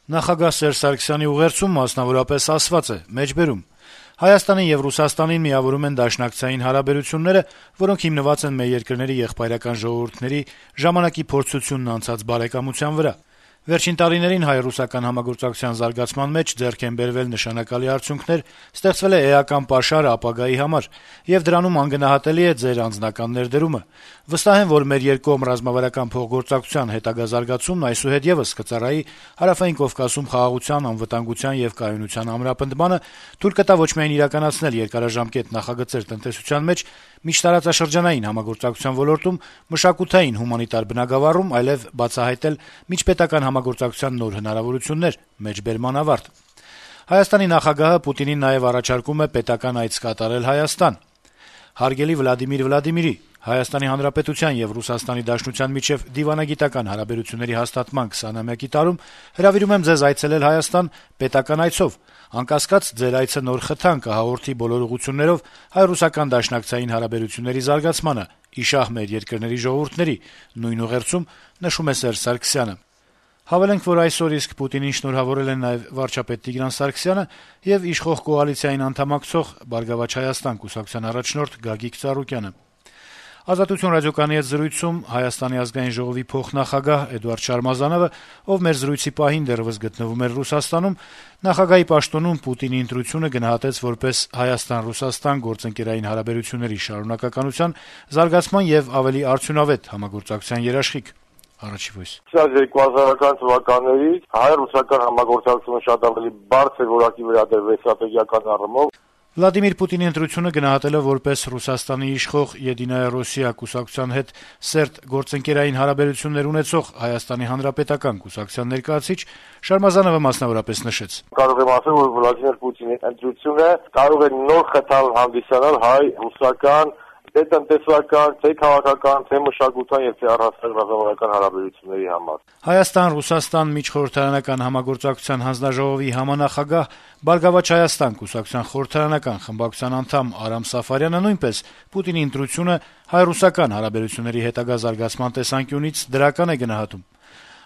Նախագահ Սերժ Սարգսյանի ուղերձում մասնավորապես ասված է. մեջբերում. Հայաստանին եւ Ռուսաստանին միավորում են դաշնակցային հարաբերությունները, որոնք հիմնված են մեր երկրների եղբայրական ժողովուրդների ժամանակի փորձությունն անցած բարեկամության վրա։ Վերջին տարիներին հայ-ռուսական համագործակցության զարգացման մեջ ձեռք են բերվել նշանակալի արդյունքներ, ստեղծվել է էական պաշար ապագայի համար, եւ դրանում անգնահատելի է ձեր անձնական ներդրումը։ Վստահ եմ, որ մեր երկկողմ ռազմավարական փոխգործակցության հետագա զարգացումն այսուհետ եւս կծառայի Հարավային Կովկասում խաղաղության, անվտանգության եւ կայունության ամրապնդմանը, թույլ կտա ոչ միայն իրականացնել երկարաժամկետ նախագծեր տնտեսության մեջ, միջտարածաշրջանային համագործակցության ոլորտում, մշակութային հումանիտար բնագավառում, այլև բացահայտել միջպետական համագործակցության նոր հնարավորություններ, մեջբերման ավարտ։ Հայաստանի նախագահը Պուտինին նաեւ առաջարկում է պետական այց կատարել Հայաստան։ Հարգելի Վլադիմիր Վլադիմիրի, Հայաստանի Հանրապետության եւ Ռուսաստանի Դաշնության միջեւ դիվանագիտական հարաբերությունների հաստատման 20-ամյակի տարում հրավիրում եմ ձեզ այցելել Հայաստան պետական այցով։ Անկասկած, ձեր այցը նոր խթան կհաղորդի բոլոր ուղղություններով հայ-ռուսական դաշնակցային հարաբերությունների զարգացմանը, իշահ մեր երկրների ժողովուրդների, նույն ուղերձում նշում է Սերժ Սարգսյանը։ Հավելենք, որ այսօր իսկ Պուտինին շնորհավորել են նաեւ վարչապետ Տիգրան Սարգսյանը եւ իշխող կոալիցիային անդամակցող «Բարգավաճ Հայաստան» կուսակցության առաջնորդ Գագիկ Ծառուկյանը։ «Ազատություն» ռադիոկայանի հետ զրույցում Հայաստանի ազգային ժողովի փոխնախագահ Էդուարդ Շարմազանովը, ով մեր զրույցի պահին դեռևս գտնվում էր Ռուսաստանում, նախագահի պաշտոնում Պուտինի ընտրությունը գնահատեց որպես Հայաստան-Ռուսաստան գործընկերային հարաբերությունների շարունակականության, զարգացման եւ ավելի արդյունավետ համագործակցության երաշխիք։ Սա 2000-ական թվականներից հայ-ռուսական համագործակցությունը շատ ավելի բարձր որակի վերադրվեց ստրատեգիական առումով։ Վլադիմիր Պուտինի ընտրությունը գնահատել է որպես Ռուսաստանի իշխող «Եդինայա Ռոսիա» կուսակցության հետ սերտ գործընկերային հարաբերություններ ունեցող Հայաստանի Հանրապետական կուսակցության ներկայացուցիչ Շարմազանովը մասնավորապես նշեց. Կարող եմ ասել, որ Վլադիմիր Պուտինի ընտրությունը կարող է նոր խթան հանդիսանալ հայ-ռուսական թե տնտեսական, թե քաղաքական, թե մշակութային եւ թե առհասարակ ռազմավարական հարաբերությունների համար։ Հայաստան-Ռուսաստան միջխորհրդարանական համագործակցության հանձնաժողովի համանախագահ «Բարգավաճ Հայաստան» կուսակցության խորհրդարանական խմբակցության անդամ Արամ Սաֆարյանը նույնպես Պուտինի ընտրությունը հայ-ռուսական հարաբերությունների հետագա զարգացման տեսանկյունից դրական է գնահատում։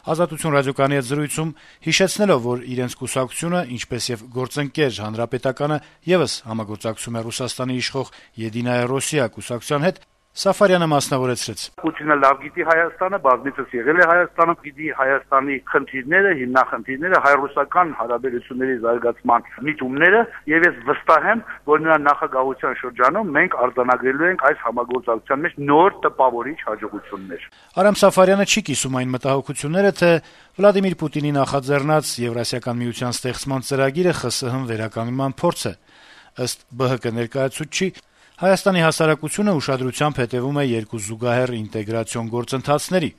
«Ազատություն» ռադիոկայանի հետ զրույցում հիշեցնելով, որ իրենց կուսակցությունը, ինչպես եւ գործընկեր Հանրապետականը եւս համագործակցում է Ռուսաստանի իշխող «Եդինայա Ռոսիա» կուսակցության հետ, Սաֆարյանը մասնավորեցրեց. Պուտինը լավ գիտի Հայաստանը, բազմիցս եղել է Հայաստանում, գիտի Հայաստանի խնդիրները, հիմնախնդիրները, հայ-ռուսական հարաբերությունների զարգացման միտումները, եւ ես վստահ եմ, որ նրա նախագահության շրջանում մենք արձանագրելու ենք այս համագործակցության մեջ նոր տպավորիչ հաջողություններ։ Արամ Սաֆարյանը չի կիսում այն մտահոգությունները, թե Վլադիմիր Պուտինի նախաձեռնած Եվրասիական միության ստեղծման ծրագիրը ԽՍՀՄ վերականգնման փորձ է։ Ըստ ԲՀԿ ներկայացուցչի, Հայաստանի հասարակությունը ուշադրությամբ հետևում է երկու զուգահեռ ինտեգրացիոն գործընթացների։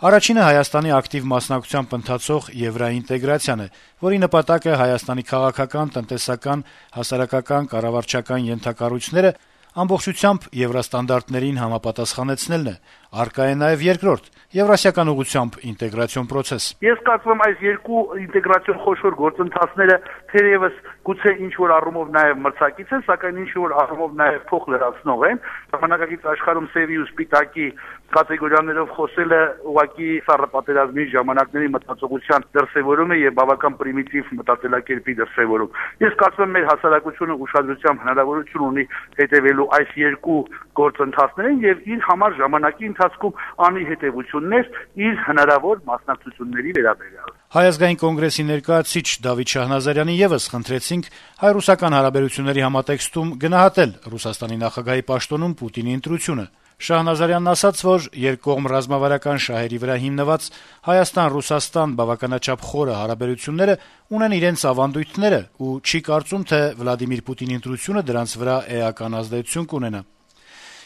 Առաջինը Հայաստանի ակտիվ մասնակցությամբ ընթացող եվրաինտեգրացիան է, որի նպատակը Հայաստանի քաղաքական, տնտեսական, հասարակական, կառավարչական ենթակառույցները ամբողջությամբ եվրոստանդարտներին համապատասխանեցնելն է։ Առկա է նաև երկրորդ՝ եվրասիական ուղղությամբ ինտեգրացիոն process։ Ես կարծում եմ այս երկու ինտեգրացիոն խոշոր գործընթացները թերևս գուցե ինչ-որ առումով նաև մրցակից են, սակայն ինչ-որ առումով նաև փոխ լրացնող են։ Ժամանակակից աշխարհում սևի ու սպիտակի կատեգորիաներով խոսելը ուղղակի սառը պատերազմի ժամանակների մտածողության դրսևորում է եւ բավական պրիմիտիվ մտածելակերպի դրսևորում։ Ես կարծում եմ մեր հասարակությունը ուշադրությամբ հնարավորություն ունի հետևելու այս երկու գործընթացներին եւ իր համար ժամանակի ընթացքում անի հետևություններ իր հնարավոր մասնակցությունների վերաբերյալ։ Հայ ազգային կոնգրեսի ներկայացուցիչ Դավիթ Շահնազարյանի եւս խնդրեցինք հայ-ռուսական հարաբերությունների համատեքստում գնահատել Ռուսաստանի նախագահի պաշտոնում Պուտինի ընտրությունը։ Շահնազարյանն ասաց, որ երկկողմ ռազմավարական շահերի վրա հիմնված Հայաստան-Ռուսաստան բավականաչափ խորը հարաբերությունները ունեն իրենց ավանդույթները ու չի կարծում, թե Վլադիմիր Պուտինի ընտրությունը դրանց վրա էական ազդեցություն կունենա։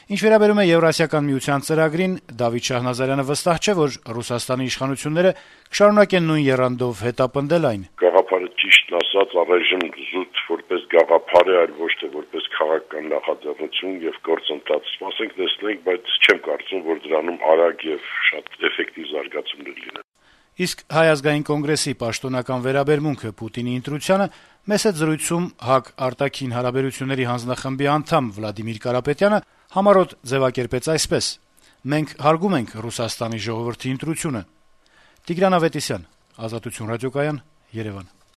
Ինչ վերաբերում է Եվրասիական միության ծրագրին, Դավիթ Շահնազարյանը վստահ չէ, որ Ռուսաստանի իշխանությունները կշարունակեն նույն եռանդով հետապնդել այն։ Գաղափարը ճիշտն ասած առայժմ զուտ որպես գաղափար է, այլ ոչ թե որպես քաղաքական նախաձեռնություն եւ գործընթաց։ Սպասենք տեսնենք, բայց չեմ կարծում, որ դրանում արագ եւ շատ էֆեկտիվ զարգացումներ լինեն։ Իսկ Հայ ազգային կոնգրեսի պաշտոնական վերաբերմունքը Պուտինի ընտրությանը մեծ զրույցում ՀԱԿ արտաքին հարաբերությունների հանձնախմբի անդամ Վլադիմիր Կարապետյանը համառոտ ձևակերպեց այսպես. «Մենք հարգում ենք Ռուսաստանի ժողովրդի ընտրությունը»։ Տիգրան Ավետիսյան, Ազատություն ռադիոկայան, Երևան։